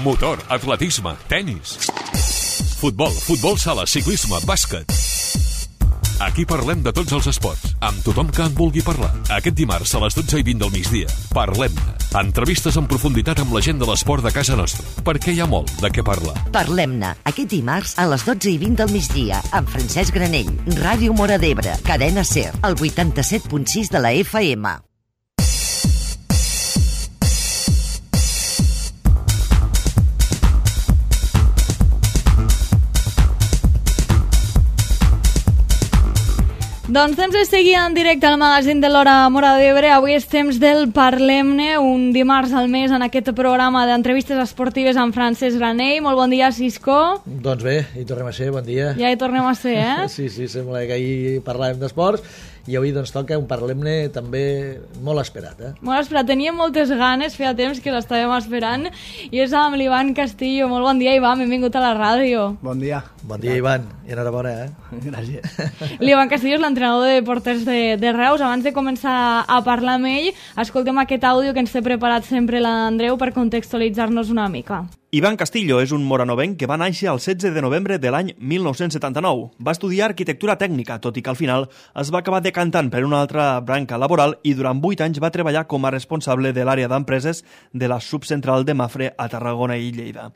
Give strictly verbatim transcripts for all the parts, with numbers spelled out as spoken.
motor, atletisme, tenis, futbol, futbol sala, ciclisme, bàsquet. Aquí parlem de tots els esports, amb tothom que en vulgui parlar. Aquest dimarts a les dotze i vint del migdia, Parlem-ne. Entrevistes en profunditat amb la gent de l'esport de casa nostra, perquè hi ha molt de què parlar. Parlem-ne, aquest dimarts a les dotze i vint del migdia, amb Francesc Granell, Ràdio Móra d'Ebre, Cadena SER, el vuitanta-set punt sis de la F M. Doncs temps de seguir en directe al magazín de l'Hora Móra d'Ebre. Avui és temps del Parlem-ne, un dimarts al mes en aquest programa d'entrevistes esportives amb Francesc Granell. Molt bon dia, Cisco. Doncs bé, hi tornem a ser, bon dia. Ja hi tornem a ser, eh? Sí, sí, sembla que ahir parlàvem d'esports i avui doncs toca un Parlem-ne també molt esperat, eh? Molt esperat, teníem moltes ganes, feia temps que l'estàvem esperant, i és amb l'Ivan Castillo. Molt bon dia, Ivan, benvingut a la ràdio. Bon dia. Bon dia, Ivan, i enhorabona, eh? Gràcies. L'Ivan Castillo és l'entrenador de porters de, de Reus. Abans de començar a parlar amb ell, escoltem aquest àudio que ens té preparat sempre l'Andreu per contextualitzar-nos una mica. Ivan Castillo és un moranovenc que va néixer el setze de novembre de l'any mil nou-cents setanta-nou. Va estudiar arquitectura tècnica, tot i que al final es va acabar decantant per una altra branca laboral i durant vuit anys va treballar com a responsable de l'àrea d'empreses de la subcentral de Mafre a Tarragona i Lleida.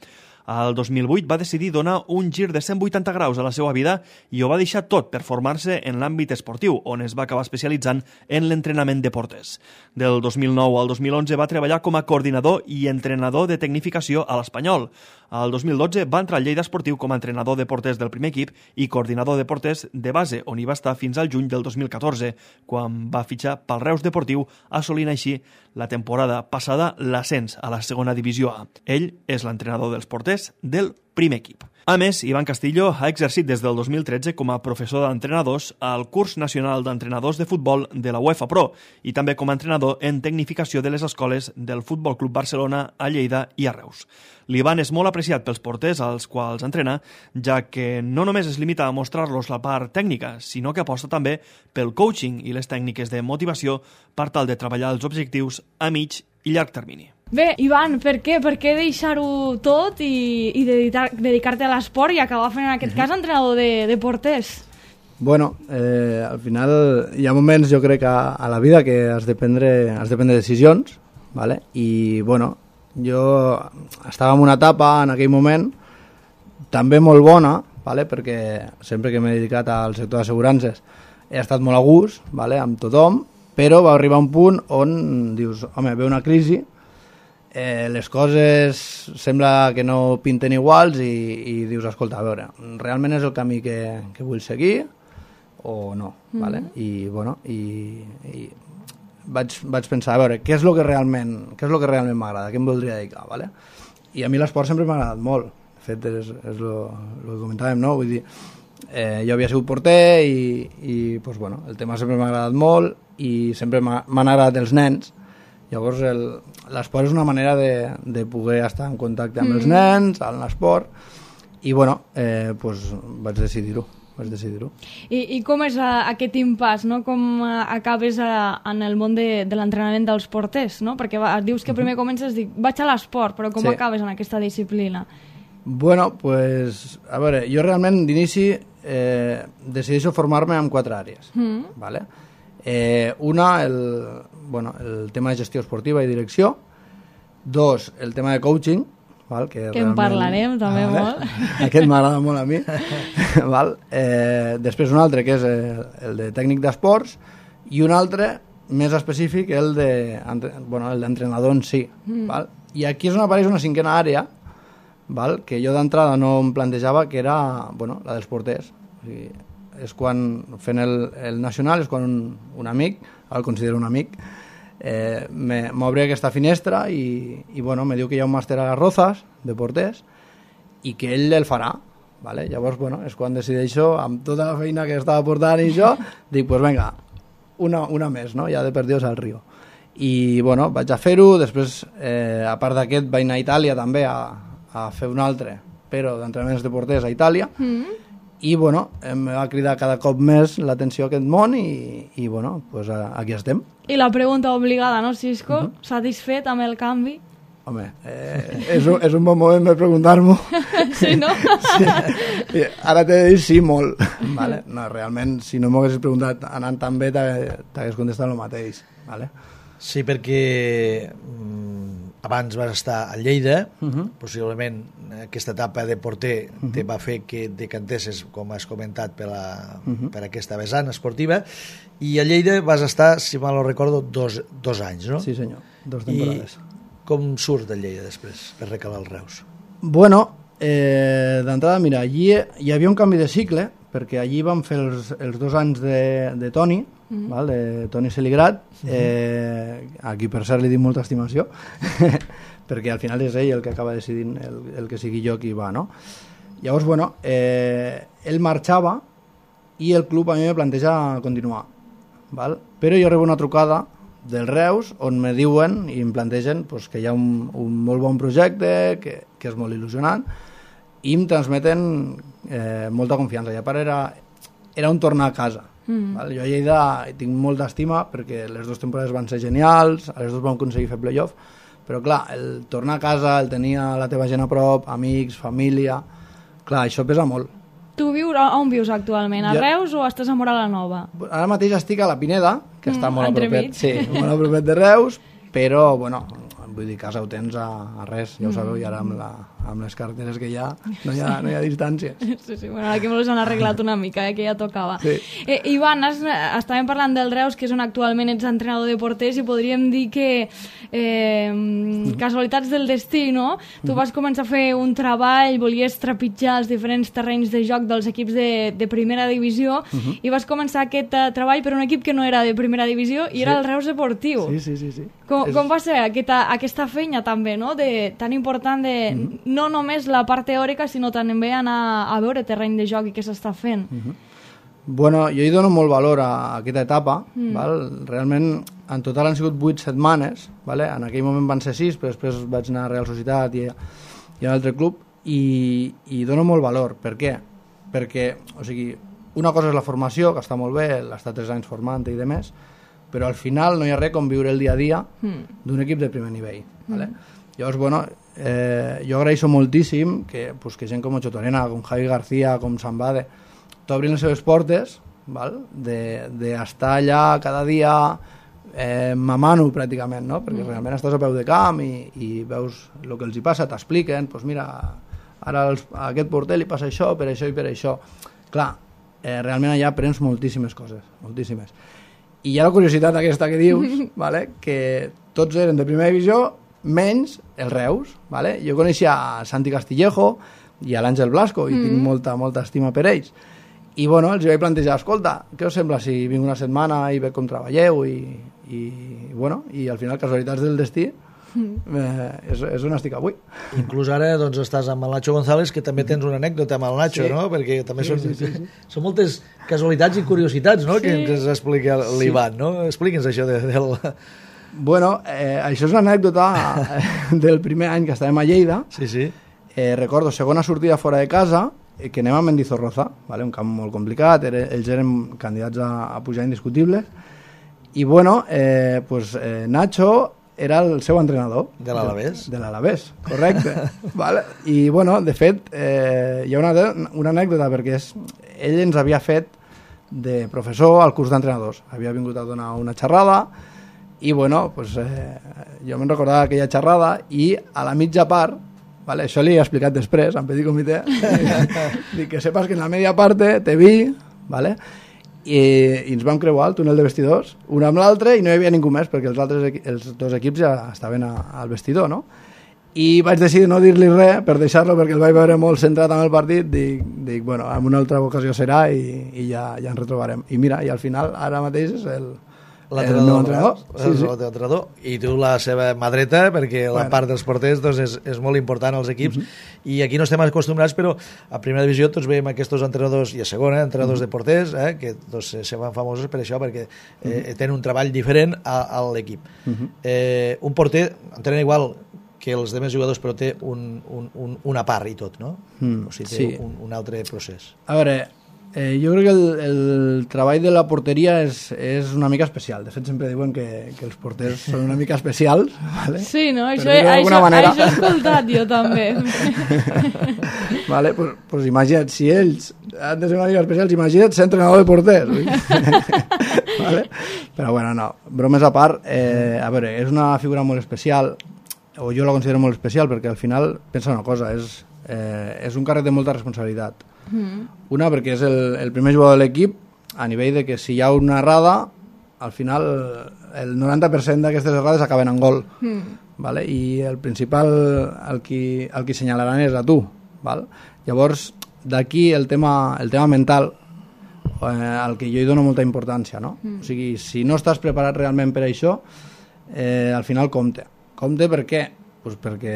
Al dos mil vuit va decidir donar un gir de cent vuitanta graus a la seva vida i ho va deixar tot per formar-se en l'àmbit esportiu, on es va acabar especialitzant en l'entrenament de porters. Del dos mil nou al dos mil onze va treballar com a coordinador i entrenador de tecnificació a l'Espanyol. Al dos mil dotze va entrar al Lleida Esportiu com a entrenador de porters del primer equip i coordinador de porters de base, on hi va estar fins al juny del dos mil catorze, quan va fitxar pel Reus Deportiu, assolint així la temporada passada l'ascens a la segona divisió A. Ell és l'entrenador dels porters del primer equip. A més, Ivan Castillo ha exercit des del dos mil tretze com a professor d'entrenadors al curs nacional d'entrenadors de futbol de la UEFA Pro i també com a entrenador en tecnificació de les escoles del Futbol Club Barcelona a Lleida i a Reus. L'Ivan és molt apreciat pels porters als quals entrena, ja que no només es limita a mostrar-los la part tècnica, sinó que aposta també pel coaching i les tècniques de motivació per tal de treballar els objectius a mig i llarg termini. Bé, Ivan, per què? Per què deixar-ho tot i, i dedicar, dedicar-te a l'esport i acabar fent, en aquest cas, entrenador de, de porters? Bueno, eh, al final hi ha moments, jo crec, a, a la vida que has de prendre, has de prendre decisions, ¿vale? I, bueno, jo estava en una etapa, en aquell moment, també molt bona, ¿vale? Perquè sempre que m'he dedicat al sector d'assegurances he estat molt a gust, ¿vale? Amb tothom, però va arribar un punt on dius, home, ve una crisi, Eh, les coses sembla que no pinten iguals i, i dius, escolta, a veure, realment és el camí que, que vull seguir o no, mm-hmm. ¿vale? I, bueno, i, i vaig, vaig pensar, a veure, què és el que realment, què és el que realment m'agrada, què em voldria dedicar, ¿vale? I a mi l'esport sempre m'ha agradat molt, de fet és, és lo, lo que comentàvem, no? Vull dir, eh, jo havia sigut porter i, i pues, bueno, el tema sempre m'ha agradat molt i sempre m'han agradat els nens. Llavors l'esport és una manera de, de poder estar en contacte amb mm. els nens, en l'esport, i bueno, eh, pues, vaig decidir-ho. Vaig decidir-ho. I, I com és a, aquest impàs, no? Com a, acabes a, en el món de, de l'entrenament dels porters, no? Perquè va, dius que primer comences, dic, vaig a l'esport, però com sí. acabes en aquesta disciplina? Bueno, pues, a veure, jo realment d'inici eh, decideixo formar-me en quatre àrees, mm. ¿vale? Eh, una, el, bueno, el tema de gestió esportiva i direcció. Dos, el tema de coaching, val? Que, que en parlarem també ah, molt. Aquest m'agrada molt a mi. Val? Eh, després un altre que és el, el de tècnic d'esports i un altre més específic, el de, bueno, el d'entrenador en si. Mm. Val? I aquí és on apareix una cinquena àrea, val? Que jo d'entrada no em plantejava, que era, bueno, la dels porters. O sigui, és quan, fent el, el nacional, és quan un, un amic, el considero un amic, eh, m'obre aquesta finestra i, i bueno, me diu que hi ha un màster a les Rozas de porters i que ell el farà, ¿vale? Llavors, bueno, és quan decideixo, amb tota la feina que estava portant i jo, dic, pues venga, una, una més, no? Ja de per Dios al río. I, bueno, vaig a fer-ho, després, eh, a part d'aquest, vaig anar a Itàlia també a, a fer un altre, però d'entrenaments de porters a Itàlia, mm. i bueno, em va cridar cada cop més l'atenció a aquest món i, i bueno, pues aquí estem. I la pregunta obligada, no, Cisco? Uh-huh. Satisfet amb el canvi? Home, eh, és, un, és un bon moment per preguntar-m'ho. Sí, no? Sí. Ara t'he de dir sí, molt. Vale? No, realment, si no m'ho haguessis preguntat anant tan bé, t'hagués contestat el mateix. Vale? Sí, perquè mm, abans vas estar a Lleida, uh -huh. possiblement aquesta etapa de porter uh -huh. te va fer que decantessis, com has comentat, per, la, uh -huh. per aquesta vessant esportiva, i a Lleida vas estar, si mal no recordo, dos, dos anys, no? Sí, senyor, dos temporades. I com surts de Lleida després, per recalar el Reus? Bueno, eh, d'entrada, mira, allí hi havia un canvi de cicle, perquè allí vam fer els, els dos anys de, de Toni, mm-hmm. val, de Toni Seligrat, eh, aquí per cert li dic molta estimació, perquè al final és ell el que acaba decidint el, el que sigui jo qui va, no? Llavors, bueno, eh, ell marxava i el club a mi me planteja continuar, val? Però jo rebo una trucada del Reus on me diuen i em plantegen pues, que hi ha un, un molt bon projecte, que, que és molt il·lusionant, i em transmeten eh, molta confiança. I a part era, era un tornar a casa. Mm. Val? Jo a Lleida tinc molta estima perquè les dues temporades van ser genials, a les dues vam aconseguir fer playoff, però clar, el tornar a casa, el tenir la teva gent a prop, amics, família, clar, això pesa molt. Tu vius, on vius actualment? A jo... Reus o estàs a Móra la Nova? Ara mateix estic a la Pineda, que mm, està molt a propet, sí, molt a propet de Reus, però, bueno, vull dir, casa ho tens a, a res, ja ho sabeu, i ara amb, la, amb les carreteres que hi ha no hi ha, no hi ha distàncies. Sí, sí, bueno, aquí me han arreglat una mica, eh, que ja tocava. Sí. Eh, Ivan, has, estàvem parlant del Reus, que és on actualment ets entrenador de porters, i podríem dir que eh, mm. casualitats del destí, no? Tu mm. vas començar a fer un treball, volies trepitjar els diferents terrenys de joc dels equips de, de primera divisió, mm -hmm. i vas començar aquest uh, treball per un equip que no era de primera divisió, i sí. era el Reus Deportiu. Sí, sí, sí. sí. Com, és... com va ser aquesta, aquesta feina també, no? De, tan important de mm -hmm. no només la part teòrica, sinó també anar a veure terreny de joc i què s'està fent? Mm -hmm. Bueno, jo hi dono molt valor a aquesta etapa, mm. val? Realment en total han sigut vuit setmanes, vale? En aquell moment van ser sis, però després vaig anar a Real Societat i, i a un altre club, i, i dono molt valor. Per què? Perquè, o sigui, una cosa és la formació, que està molt bé, l'estar tres anys formant i demés, però al final no hi ha res com viure el dia a dia mm. d'un equip de primer nivell. Vale? Mm. Llavors, bueno, eh, jo agraeixo moltíssim que, pues, que gent com Ocho Torena, com Javi García, com Sambade, t'obrin les seves portes, val? De, de estar allà cada dia eh, mamant-ho pràcticament, no? Perquè mm. realment estàs a peu de camp i, i veus el que els hi passa, t'expliquen, pues mira, ara els, a aquest porter li passa això, per això i per això. Clar, eh, realment allà aprens moltíssimes coses, moltíssimes. I hi ha la curiositat aquesta que dius, vale? Que tots eren de primera divisió, menys el Reus. Vale? Jo coneixia a Santi Castillejo i a l'Àngel Blasco, i mm. tinc molta, molta estima per ells. I bueno, els vaig plantejar, escolta, què us sembla si vinc una setmana i veig com treballeu? I, i, bueno, i al final, casualitats del destí, Eh, és, és on estic avui. Inclús ara doncs, estàs amb el Nacho González, que també tens una anècdota amb el Nacho, sí. no? Perquè també sí, són, sí, sí, sí. són moltes casualitats i curiositats, no? Sí. Que ens explica l'Ivan, no? Expliqui'ns això de, del... Bueno, eh, això és una anècdota del primer any que estàvem a Lleida. Sí, sí. Eh, recordo, segona sortida fora de casa, eh, que anem a Mendizorroza, vale? Un camp molt complicat, era, ells eren candidats a, a pujar indiscutibles, i bueno, eh, pues, eh, Nacho era el seu entrenador. De l'Alavés? De, de l'Alavés, correcte. vale? I, bueno, de fet, eh, hi ha una, una anècdota, perquè és, ell ens havia fet de professor al curs d'entrenadors. Havia vingut a donar una xerrada i, bueno, pues, eh, jo me'n recordava aquella xerrada i a la mitja part, vale, això li he explicat després, en petit comitè, dic que sepas que en la media parte te vi, vale? I, i ens vam creuar el túnel de vestidors un amb l'altre i no hi havia ningú més perquè els altres els dos equips ja estaven a, al vestidor, no? I vaig decidir no dir-li res per deixar-lo perquè el vaig veure molt centrat amb el partit. Dic, dic bueno, en una altra ocasió serà i, i ja, ja ens retrobarem. I mira, i al final ara mateix és el el meu entrenador, sí, sí. El teu entrenador, i tu la seva mà dreta, perquè bueno. La part dels porters doncs, és, és molt important als equips, uh-huh. i aquí no estem acostumbrats, però a primera divisió tots veiem aquests entrenadors, i a segona, entrenadors uh-huh. de porters, eh, que doncs, se van famosos per això, perquè eh, uh-huh. tenen un treball diferent a, a l'equip. Uh-huh. Eh, un porter entrena igual que els demés jugadors, però té un, un, un, una part i tot, no? Mm, o sigui, té sí. un, un altre procés. A veure, Eh, jo crec que el, el treball de la porteria és, és una mica especial. De fet, sempre diuen que, que els porters són una mica especials. Vale? Sí, no? Això, això, manera... això he escoltat jo també. Vale, pues, pues imagina't, si ells han de ser una mica especials, imagina't ser entrenador de porters. Vale? Però bueno, no, bromes a part, eh, a veure, és una figura molt especial, o jo la considero molt especial, perquè al final, pensa una cosa, és, eh, és un càrrec de molta responsabilitat. Mm. Una, perquè és el, el primer jugador de l'equip, a nivell de que si hi ha una errada, al final el noranta per cent d'aquestes errades acaben en gol. Mm. Vale? I el principal, el qui, el qui senyalaran és a tu. Val? Llavors, d'aquí el tema, el tema mental, eh, al que jo hi dono molta importància, no? Mm. O sigui, si no estàs preparat realment per això, eh, al final compte. Compte per què? Pues perquè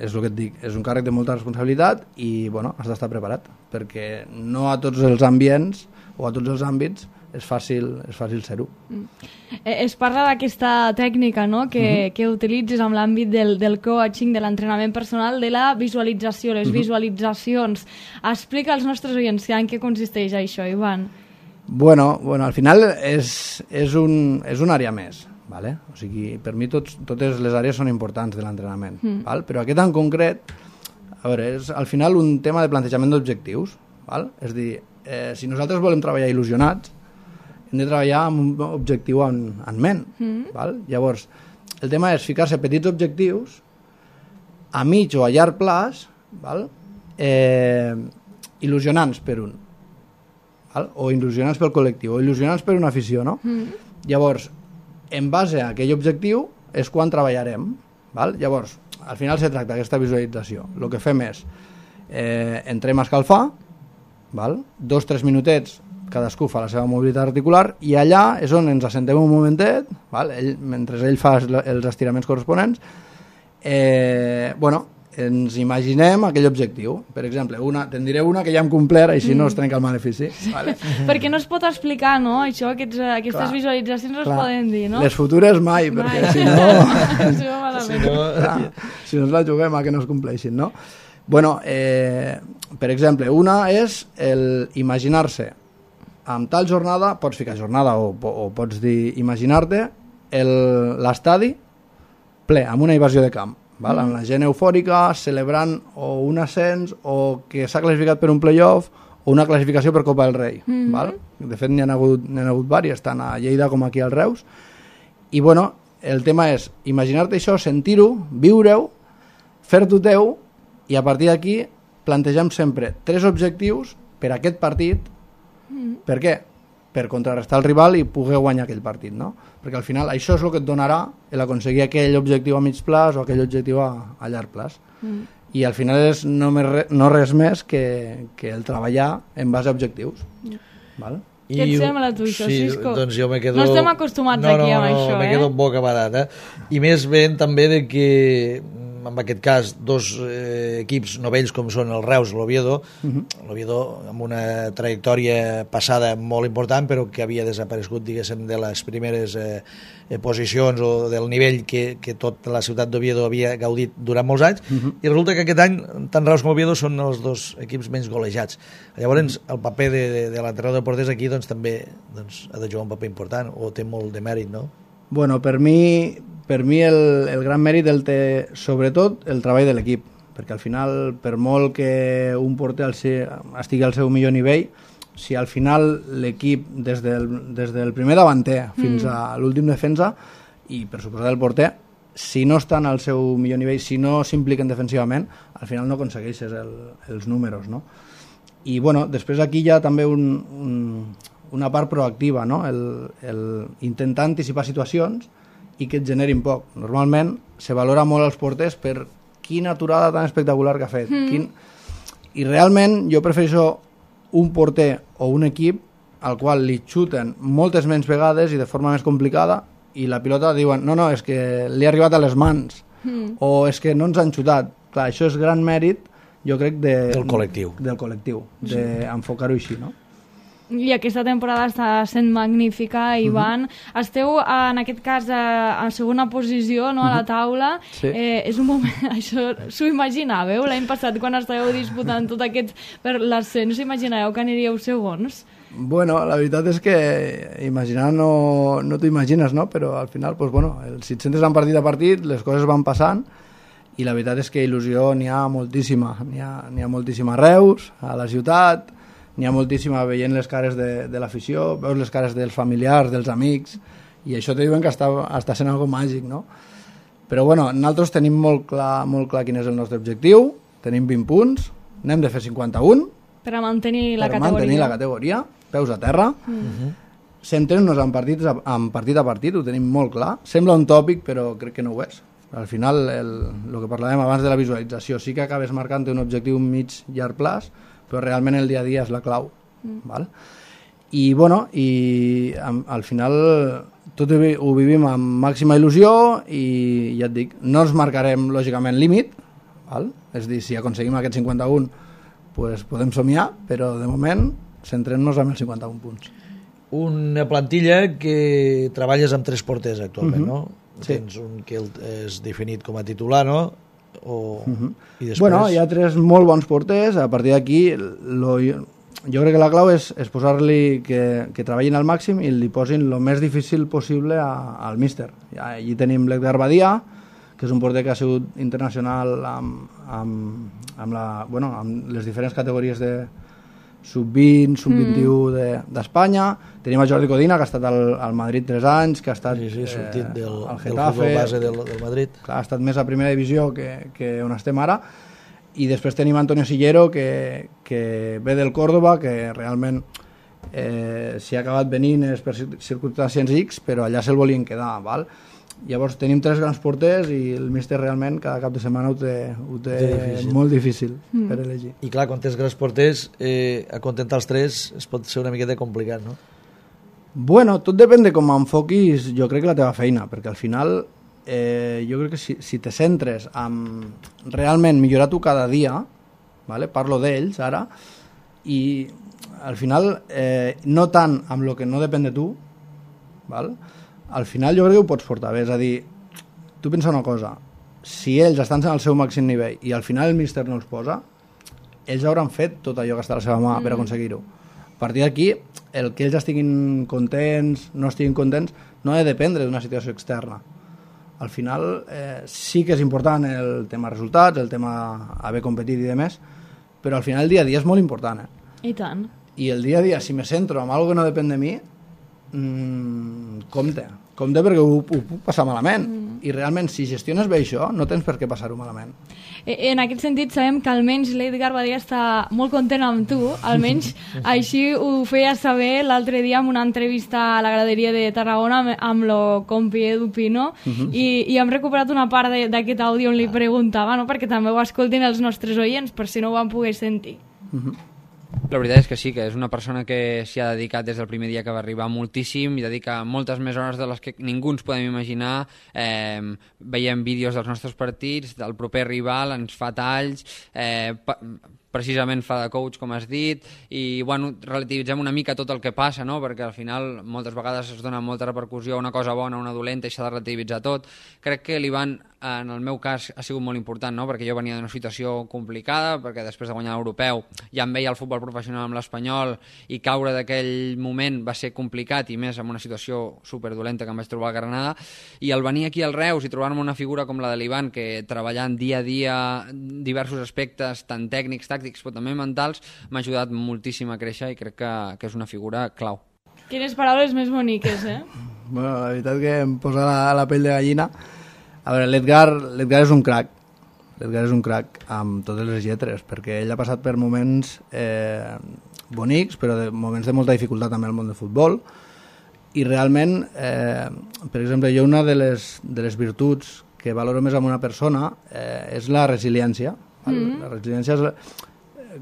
és el que et dic, és un càrrec de molta responsabilitat i bueno, has d'estar preparat, perquè no a tots els ambients o a tots els àmbits és fàcil, és fàcil ser-ho. Mm. Eh, es parla d'aquesta tècnica, no?, que, uh-huh. que utilitzes amb l'àmbit del, del coaching, de l'entrenament personal, de la visualització, les uh-huh. visualitzacions. Explica als nostres oients en què consisteix això, Ivan. Bueno, bueno al final és, és, un, és una àrea més. Vale? O sigui, per mi tots, totes les àrees són importants de l'entrenament, mm. val? Però aquest en concret, a veure, és al final un tema de plantejament d'objectius, val? És a dir, eh, si nosaltres volem treballar il·lusionats, hem de treballar amb un objectiu en, en ment, mm. val? Llavors, el tema és ficar-se petits objectius a mig o a llarg plaç, val? Eh, il·lusionants per un, val? O il·lusionants pel col·lectiu, o il·lusionants per una afició, no? Mm. Llavors, en base a aquell objectiu és quan treballarem. Val? Llavors, al final se tracta d'aquesta visualització. El que fem és, eh, entrem a escalfar, val? dos o tres minutets, cadascú fa la seva mobilitat articular, i allà és on ens assentem un momentet, val? Ell, mentre ell fa els estiraments corresponents, eh, bueno, ens imaginem aquell objectiu. Per exemple, una, te'n diré una que ja hem complert, així mm. no es trenca el malefici. Vale? Perquè no es pot explicar, no? Això, aquests, aquestes clar, visualitzacions no es poden dir, no? Les futures mai, mai. Perquè si no... si no, si no, clar, si no ens la juguem a que no es compleixin, no? Bueno, eh, per exemple, una és el imaginar-se amb tal jornada, pots ficar jornada o, o pots dir imaginar-te l'estadi ple, amb una invasió de camp. Val? Amb la gent eufòrica, celebrant o un ascens o que s'ha classificat per un playoff o una classificació per Copa del Rei. Mm-hmm. Val? De fet, n'hi ha hagut, n'hi ha hagut diverses, tant a Lleida com aquí al Reus. I bueno, el tema és imaginar-te això, sentir-ho, viure-ho, fer-t'ho teu, i a partir d'aquí plantegem sempre tres objectius per a aquest partit. Mm-hmm. Per què? Per contrarrestar el rival i poder guanyar aquell partit, no? Perquè al final això és el que et donarà l'aconseguir aquell objectiu a mig plaç o aquell objectiu a, a llarg plaç. Mm. I al final és no, més, no res més que, que el treballar en base a objectius. Mm. Val? I què et sembla tu, això, sí, Cisco? Doncs jo me quedo... No estem acostumats no, aquí no, amb no, això, me eh? quedo boca badada. I més ben també de que en aquest cas dos eh, equips novells com són el Reus i l'Oviedo, uh-huh. l'Oviedo amb una trajectòria passada molt important però que havia desaparegut, diguéssim, de les primeres eh, posicions o del nivell que, que tota la ciutat d'Oviedo havia gaudit durant molts anys, uh-huh. i resulta que aquest any tant Reus com Oviedo són els dos equips menys golejats. Llavors el paper de, de, de l'entrenador de porters aquí doncs, també doncs, ha de jugar un paper important o té molt de mèrit, no? Bueno, per mi, per mi el, el gran mèrit el té sobretot el treball de l'equip, perquè al final, per molt que un porter al ser, estigui al seu millor nivell, si al final l'equip, des del, des del primer davanter fins mm. a l'últim defensa, i per suposar el porter, si no estan al seu millor nivell, si no s'impliquen defensivament, al final no aconsegueixes el, els números, no? I bueno, després aquí hi ha també un... un una part proactiva, no? el, el intentar anticipar situacions i que et generin poc. Normalment se valora molt els porters per quina aturada tan espectacular que ha fet. Mm. Quin... I realment jo prefereixo un porter o un equip al qual li xuten moltes menys vegades i de forma més complicada i la pilota diuen no, no, és que li ha arribat a les mans mm. o és que no ens han xutat. Clar, això és gran mèrit, jo crec, de, del col·lectiu, del col·lectiu, d'enfocar-ho així, no? i aquesta temporada està sent magnífica, Ivan. Uh-huh. Esteu, en aquest cas, a, a segona posició, no, a la taula. Sí. Eh, és un moment... Això s'ho imaginàveu l'any passat, quan estàveu disputant tot aquest per l'ascens, imaginàveu que aniríeu segons? Bueno, la veritat és que imaginar no, no t'ho imagines, no? Però al final, pues, bueno, si et centres en partit a partit, les coses van passant, i la veritat és que il·lusió n'hi ha moltíssima. N'hi ha, n'hi ha moltíssima a Reus, a la ciutat, n'hi ha moltíssima veient les cares de, de l'afició, veus les cares dels familiars, dels amics, i això te diuen que està, està sent algo màgic, no? Però bueno, nosaltres tenim molt clar, molt clar quin és el nostre objectiu, tenim vint punts, n'hem de fer cinquanta-un, per a mantenir la per categoria. mantenir la categoria, peus a terra, mm. centrem-nos en, partits, en partit a partit, ho tenim molt clar. Sembla un tòpic, però crec que no ho és. Al final, el, el que parlàvem abans de la visualització, sí que acabes marcant un objectiu mig llarg plaç, però realment el dia a dia és la clau. Mm. Val? I, bueno, i al final tot ho vivim amb màxima il·lusió i ja et dic, no ens marcarem lògicament límit, val? És dir, si aconseguim aquest cinquanta-un, pues podem somiar, però de moment centrem-nos en els cinquanta-un punts. Una plantilla que treballes amb tres porters actualment, uh-huh. no? Sí. Tens un que és definit com a titular, no? O... Uh-huh. I després... Bueno, hi ha tres molt bons porters, a partir d'aquí lo... jo crec que la clau és, és posar-li que, que treballin al màxim i li posin el més difícil possible a, al míster. Allí tenim l'Edgar Badia, que és un porter que ha sigut internacional amb, amb, amb, la, bueno, amb les diferents categories de sub vint, sub vint-i-u mm. d'Espanya. De, Tenim a Jordi Codina, que ha estat al, al Madrid tres anys, que ha estat sí, sí, sortit del, eh, al del Getafe, futbol base del, del Madrid. Clar, ha estat més a primera divisió que, que on estem ara. I després tenim Antonio Sillero, que, que ve del Córdoba, que realment eh, s'hi ha acabat venint per circumstàncies X, però allà se'l volien quedar, val? Llavors tenim tres grans porters i el míster realment cada cap de setmana ho té, ho té difícil. Molt difícil mm. per elegir. I clar, quan tens grans porters, eh, acontentar els tres es pot ser una miqueta complicat, no? Bueno, tot depèn de com enfoquis, jo crec que la teva feina, perquè al final eh, jo crec que si, si te centres en realment millorar tu cada dia, vale? Parlo d'ells ara, i al final eh, no tant amb el que no depèn de tu, val? Al final jo crec que ho pots portar bé, és a dir, tu pensa una cosa, si ells estan al seu màxim nivell i al final el míster no els posa, ells hauran fet tot allò que està a la seva mà mm. per aconseguir-ho. A partir d'aquí, el que ells estiguin contents, no estiguin contents, no ha de dependre d'una situació externa. Al final eh, sí que és important el tema resultats, el tema haver competit i demés, però al final el dia a dia és molt important. Eh? I tant. I el dia a dia, si me centro en algo que no depèn de mi, mm, compte. Compte perquè ho, ho puc passar malament. Mm. I realment, si gestiones bé això, no tens per què passar-ho malament. En aquest sentit, sabem que almenys l'Edgar Badia està molt content amb tu, almenys així ho feia saber l'altre dia en una entrevista a la graderia de Tarragona amb, amb lo compi Edu Pino, uh-huh. i, i hem recuperat una part d'aquest àudio on li preguntava, no? Perquè també ho escoltin els nostres oients, per si no ho van poder sentir. Uh-huh. La veritat és que sí, que és una persona que s'hi ha dedicat des del primer dia que va arribar moltíssim i dedica moltes més hores de les que ningú ens podem imaginar. Eh, veiem vídeos dels nostres partits, del proper rival, ens fa talls, eh, pa precisament fa de coach, com has dit, i bueno, relativitzem una mica tot el que passa, no? Perquè al final moltes vegades es dona molta repercussió a una cosa bona, a una dolenta, i s'ha de relativitzar tot. Crec que l'Ivan, en el meu cas, ha sigut molt important, no? Perquè jo venia d'una situació complicada, perquè després de guanyar l'europeu ja em veia el futbol professional amb l'Espanyol, i caure d'aquell moment va ser complicat, i més en una situació superdolenta que em vaig trobar a Granada, i al venir aquí al Reus i trobar-me una figura com la de l'Ivan, que treballant dia a dia diversos aspectes, tant tècnics, tàctics, però també mentals, m'ha ajudat moltíssim a créixer i crec que, que és una figura clau. Quines paraules més boniques, eh? Bueno, la veritat que em posa la, la pell de gallina. A veure, l'Edgar l'Edgar és un crac. L'Edgar és un crac amb totes les lletres, perquè ell ha passat per moments eh, bonics, però de moments de molta dificultat també al món del futbol, i realment, eh, per exemple, jo una de les, de les virtuts que valoro més en una persona eh, és la resiliència. Mm. La resiliència és la,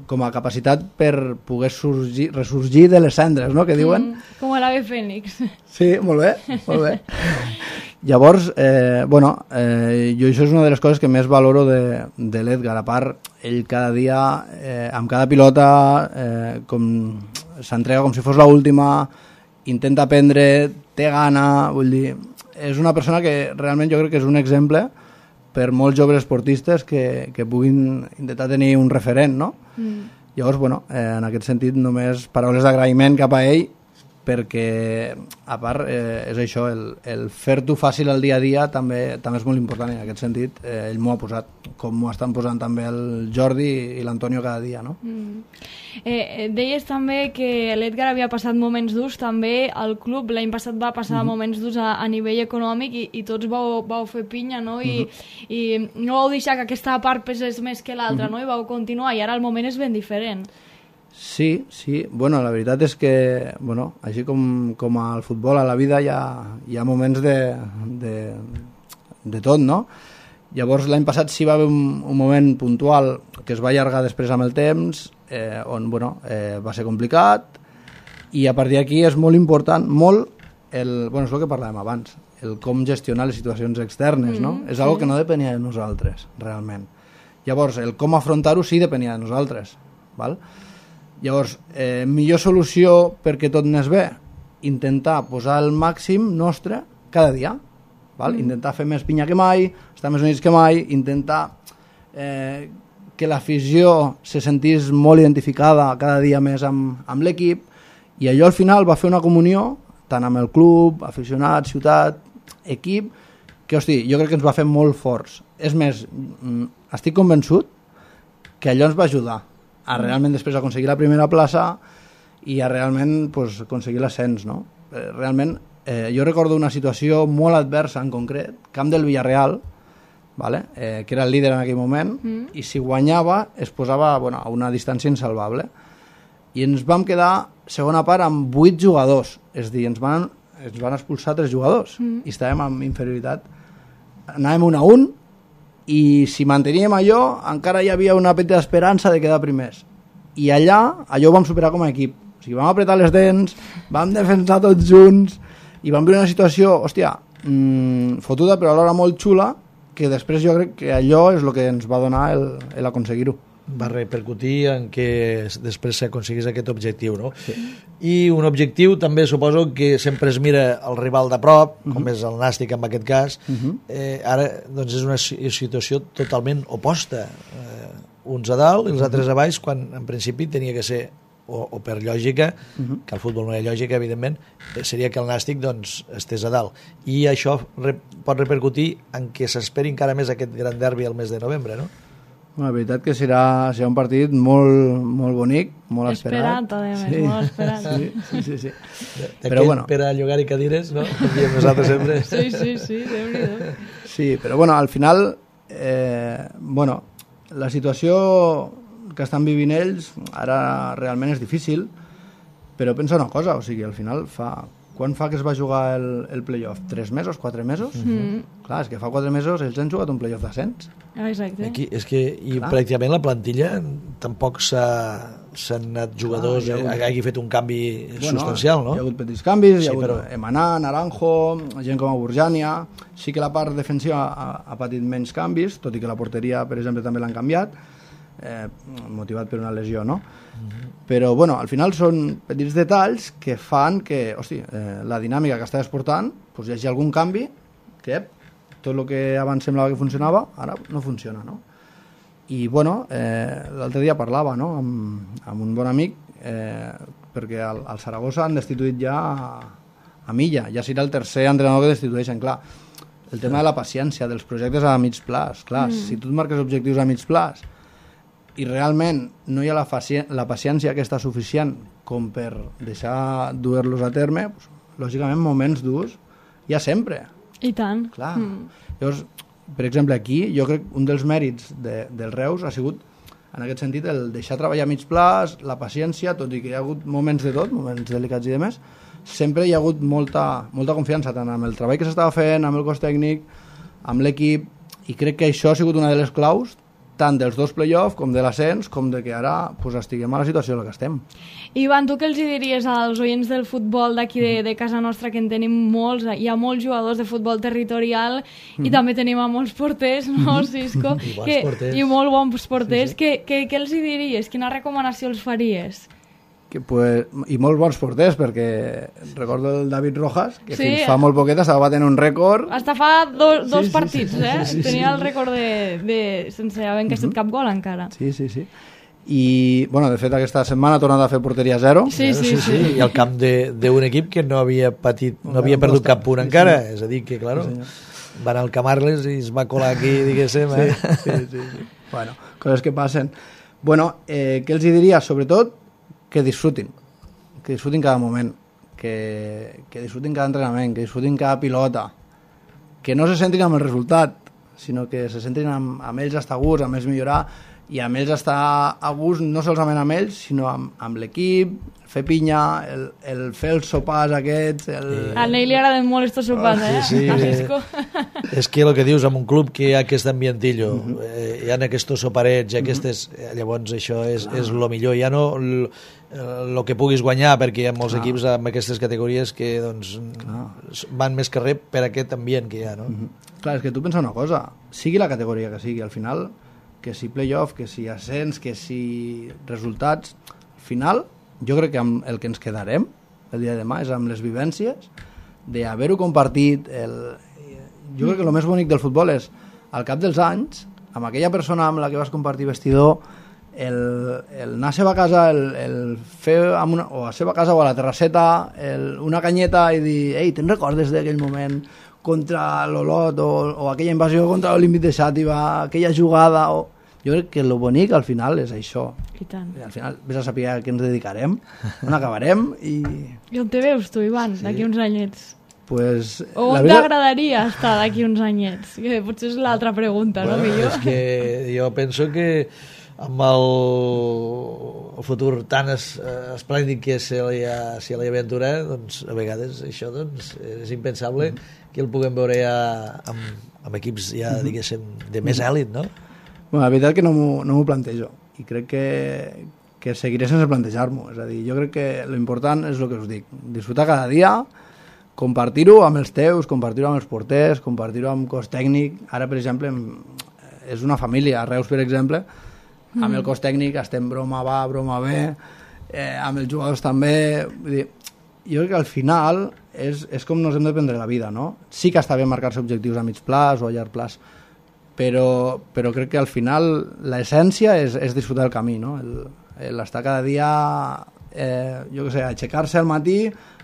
com a capacitat per poder sorgir, ressorgir de les cendres, no?, que diuen. Mm, com a l'ave Fènix. Sí, molt bé, molt bé. Llavors, eh, bueno, eh, jo això és una de les coses que més valoro de, de l'Edgar. A part, ell cada dia, eh, amb cada pilota, eh, com s'entrega com si fos l'última, intenta aprendre, té gana, vull dir, és una persona que realment jo crec que és un exemple per molts joves esportistes que, que puguin intentar tenir un referent, no? Mm. Llavors, bueno, eh, en aquest sentit, només paraules d'agraïment cap a ell, perquè, a part, eh, és això, el, el fer-t'ho fàcil el dia a dia també també és molt important, i en aquest sentit eh, ell m'ho ha posat, com m'ho estan posant també el Jordi i l'Antonio cada dia, no? Mm. Eh, deies també que l'Edgar havia passat moments durs, també el club l'any passat va passar mm-hmm. moments durs a, a nivell econòmic i, i tots vau, vau fer pinya, no? I, mm-hmm. i no vau deixar que aquesta part pesés més que l'altra, mm-hmm. no? I vau continuar, i ara el moment és ben diferent. Sí, sí. Bueno, la veritat és que, bueno, així com, com al futbol, a la vida hi ha, hi ha moments de, de, de tot, no? Llavors, l'any passat sí va haver un, un moment puntual que es va allargar després amb el temps, eh, on, bueno, eh, va ser complicat, i a partir d'aquí és molt important, molt, el, bueno, és el que parlàvem abans, el com gestionar les situacions externes, no? Mm, és sí. Algo que no depenia de nosaltres, realment. Llavors, el com afrontar-ho sí depenia de nosaltres, val? Llavors, eh, millor solució perquè tot anés bé, intentar posar el màxim nostre cada dia, val? Mm. Intentar fer més pinya que mai, estar més units que mai, intentar eh, que l'afició se sentís molt identificada cada dia més amb, amb l'equip, i allò al final va fer una comunió, tant amb el club, aficionat, ciutat, equip, que, hosti, jo crec que ens va fer molt forts. És més, estic convençut que allò ens va ajudar a realment després aconseguir la primera plaça i a realment pues, aconseguir l'ascens, no? Realment, eh, jo recordo una situació molt adversa en concret, camp del Villarreal, vale? eh, que era el líder en aquell moment, mm. i si guanyava es posava bueno, a una distància insalvable. I ens vam quedar, segona part, amb vuit jugadors, és a dir, ens van, ens van expulsar tres jugadors, mm. i estàvem amb inferioritat. Anàvem un a un, i si manteníem allò encara hi havia una petita esperança de quedar primers, i allà allò ho vam superar com a equip, o sigui, vam apretar les dents, vam defensar tots junts i vam viure una situació, hòstia, mmm, fotuda però alhora molt xula, que després jo crec que allò és el que ens va donar l'aconseguir-ho. Va repercutir en que després s'aconseguís aquest objectiu, no? Sí. I un objectiu també suposo que sempre es mira el rival de prop, uh-huh. com és el Nàstic en aquest cas, uh-huh. eh, ara doncs és una situació totalment oposta, eh, uns a dalt i els altres a baix, quan en principi tenia que ser, o, o per lògica, uh-huh. que al futbol no hi ha lògica, evidentment, seria que el Nàstic doncs, estés a dalt. I això re, pot repercutir en que s'esperi encara més aquest gran derbi el mes de novembre, no? La veritat que serà, serà un partit molt, molt bonic, molt esperat. Esperat, a més, sí. molt esperat. Sí, sí, sí. sí. Però bueno. Per a llogar i cadires, no? Com diem nosaltres sempre. Sí, sí, sí, déu-n'hi-do. Sí, però bueno, al final, eh, bueno, la situació que estan vivint ells ara realment és difícil, però pensa una cosa, o sigui, al final fa... Quan fa que es va jugar el, el playoff? Tres mesos? Quatre mesos? Mm-hmm. Clar, és que fa quatre mesos ells han jugat un playoff d'ascens. Exacte. Aquí, és que, i clar, pràcticament la plantilla tampoc s'han anat jugadors, clar, hagut, hagi fet un canvi bueno, substancial, no? Hi ha hagut petits canvis, sí, hi ha hagut però... Emaná, Naranjo, gent com a Burjania, sí que la part defensiva ha, ha patit menys canvis, tot i que la porteria, per exemple, també l'han canviat, eh, motivat per una lesió, no? Mm-hmm. Però, bueno, al final són petits detalls que fan que, hosti, eh, la dinàmica que estaves portant, doncs hi hagi algun canvi que tot el que abans semblava que funcionava, ara no funciona, no? I, bueno, eh, l'altre dia parlava, no?, amb, amb un bon amic, eh, perquè al, al Saragossa han destituït ja a, a Milla, ja serà el tercer entrenador que destitueixen, clar. El tema de la paciència, dels projectes a mig plaç, clar, mm. si tu et marques objectius a mig plaç i realment no hi ha la, faci- la paciència aquesta suficient com per deixar dur-los a terme, doncs, lògicament moments durs hi ha sempre. I tant. Clar. Mm. Llavors, per exemple, aquí jo crec que un dels mèrits de, del Reus ha sigut en aquest sentit el deixar treballar a mig plaç, la paciència, tot i que hi ha hagut moments de tot, moments delicats i demés, sempre hi ha hagut molta, molta confiança tant amb el treball que s'estava fent, amb el cos tècnic, amb l'equip, i crec que això ha sigut una de les claus tant dels dos play-offs com de l'ascens, com de que ara pues, estiguem a la situació en la que estem. Ivan, tu què els diries als oients del futbol d'aquí de, de casa nostra, que en tenim molts, hi ha molts jugadors de futbol territorial mm. i també tenim a molts porters, no, Cisco? I bons que, porters. I molt bons porters. Sí, sí. Què, què, què els diries? Quina recomanació els faries? que, pues, i molts bons porters, perquè recordo el David Rojas, que Sí. fins fa molt poquet estava batent un rècord. Hasta fa do, dos Sí, sí, partits, sí, eh? sí, sí, Tenia sí. el rècord de, de sense haver encaixat cap gol encara. Sí, sí, sí. I, bueno, de fet, aquesta setmana ha tornat a fer porteria zero. Sí, sí, sí. I al camp de- d'un equip que no havia patit, no havia perdut cap punt encara, és a dir, que, claro, va anar al Camarles i es va colar aquí, diguéssim, eh? Sí, sí, sí. Bueno, coses que passen. Bueno, eh, què els hi diria? Sobretot que disfrutin, que disfrutin cada moment, que, que disfrutin cada entrenament, que disfrutin cada pilota, que no se centrin amb el resultat, sinó que se centrin amb, amb ells estar a gust, amb ells millorar, i amb ells estar a gust no solament amb ells, sinó amb, amb l'equip, fer pinya, el, el fer els sopars aquests... El... A Ney li agraden molt estos sopars, Oh, eh? sí, sí. A Cisco. És que el que dius, en un club que hi ha aquest ambientillo, uh -huh. eh, hi ha aquests soparets, aquestes, eh, llavors això és, és el millor, ja no el que puguis guanyar, perquè hi ha molts Clar. equips amb aquestes categories que doncs, van més que res per aquest ambient que hi ha, no? Uh -huh. Clar, és que tu pensa una cosa, sigui la categoria que sigui, al final, que si playoff, que si ascens, que si resultats, al final, jo crec que amb el que ens quedarem el dia de demà és amb les vivències d'haver-ho compartit. El... Jo crec que el més bonic del futbol és, al cap dels anys, amb aquella persona amb la que vas compartir vestidor, el, el anar a seva casa, el, el fer amb una, o a seva casa o a la terrasseta el, una canyeta i dir, ei, te'n recordes d'aquell moment contra l'Olot o, o aquella invasió contra l'Olímpic de Xàtiva, aquella jugada o... Jo crec que el bonic al final és això. I tant. I al final vés a saber a què ens dedicarem, on acabarem i... I on te veus tu, Ivan, sí. d'aquí uns anyets? Pues, O on t'agradaria estar d'aquí uns anyets? Que potser és l'altra pregunta, bueno, no? Millor. És que jo penso que amb el, el futur tan es, esplèndid que se li, ha, se li aventura, doncs a vegades això doncs, és impensable que el puguem veure ja amb, amb equips ja, diguéssim, de més èlit, no? Bueno, la veritat que no m'ho no m'ho plantejo i crec que, que seguiré sense plantejar-m'ho. És a dir, jo crec que l'important és el que us dic, disfrutar cada dia, compartir-ho amb els teus, compartir-ho amb els porters, compartir-ho amb cos tècnic. Ara, per exemple, és una família, a Reus, per exemple, amb el cos tècnic estem broma va, broma ve, eh, amb els jugadors també. Vull dir, jo crec que al final és, és com nos hem de prendre la vida, no? Sí que està bé marcar-se objectius a mig plaç o a llarg plaç, però, però crec que al final l'essència és, és disfrutar el camí, no? El, l'estar cada dia, eh, jo què sé, aixecar-se al matí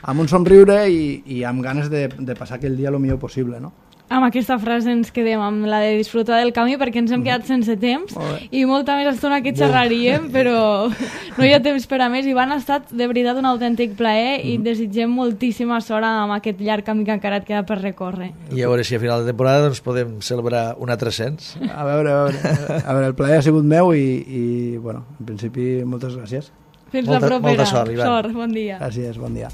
amb un somriure i, i amb ganes de, de passar aquell dia el millor possible, no? Amb aquesta frase ens quedem, amb la de disfrutar del camí, perquè ens hem quedat sense temps i molta més estona que xerraríem, però no hi ha temps per a més. Ivan, ha estat de veritat un autèntic plaer i desitgem moltíssima sort amb aquest llarg camí que encara et queda per recórrer. I a veure si a final de temporada doncs, podem celebrar un altre ascens. A veure, a veure, a veure el plaer ha sigut meu i, i bueno, en principi moltes gràcies. Fins Molta- la propera. molta sort, Ivan. Sort, bon dia. Gràcies, bon dia.